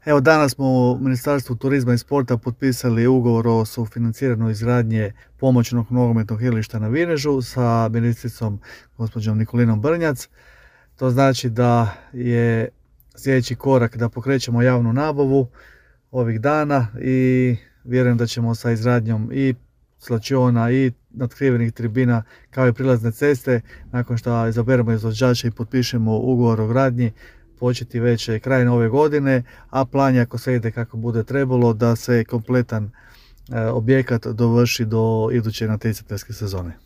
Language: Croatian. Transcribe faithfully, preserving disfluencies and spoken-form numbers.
Evo, danas smo u Ministarstvu turizma i sporta potpisali ugovor o sufinanciranju izgradnje pomoćnog nogometnog igrališta na Vinežu sa ministricom gospođom Nikolinom Brnjac. To znači da je sljedeći korak da pokrećemo javnu nabavu ovih dana i vjerujem da ćemo sa izgradnjom i slačiona i natkrivenih tribina kao i prilazne ceste, nakon što izaberemo izvođača i potpišemo ugovor o gradnji, početi već krajem ove godine, a plan je, ako sve ide kako bude trebalo, da se kompletan objekat dovrši do iduće natjecateljske sezone.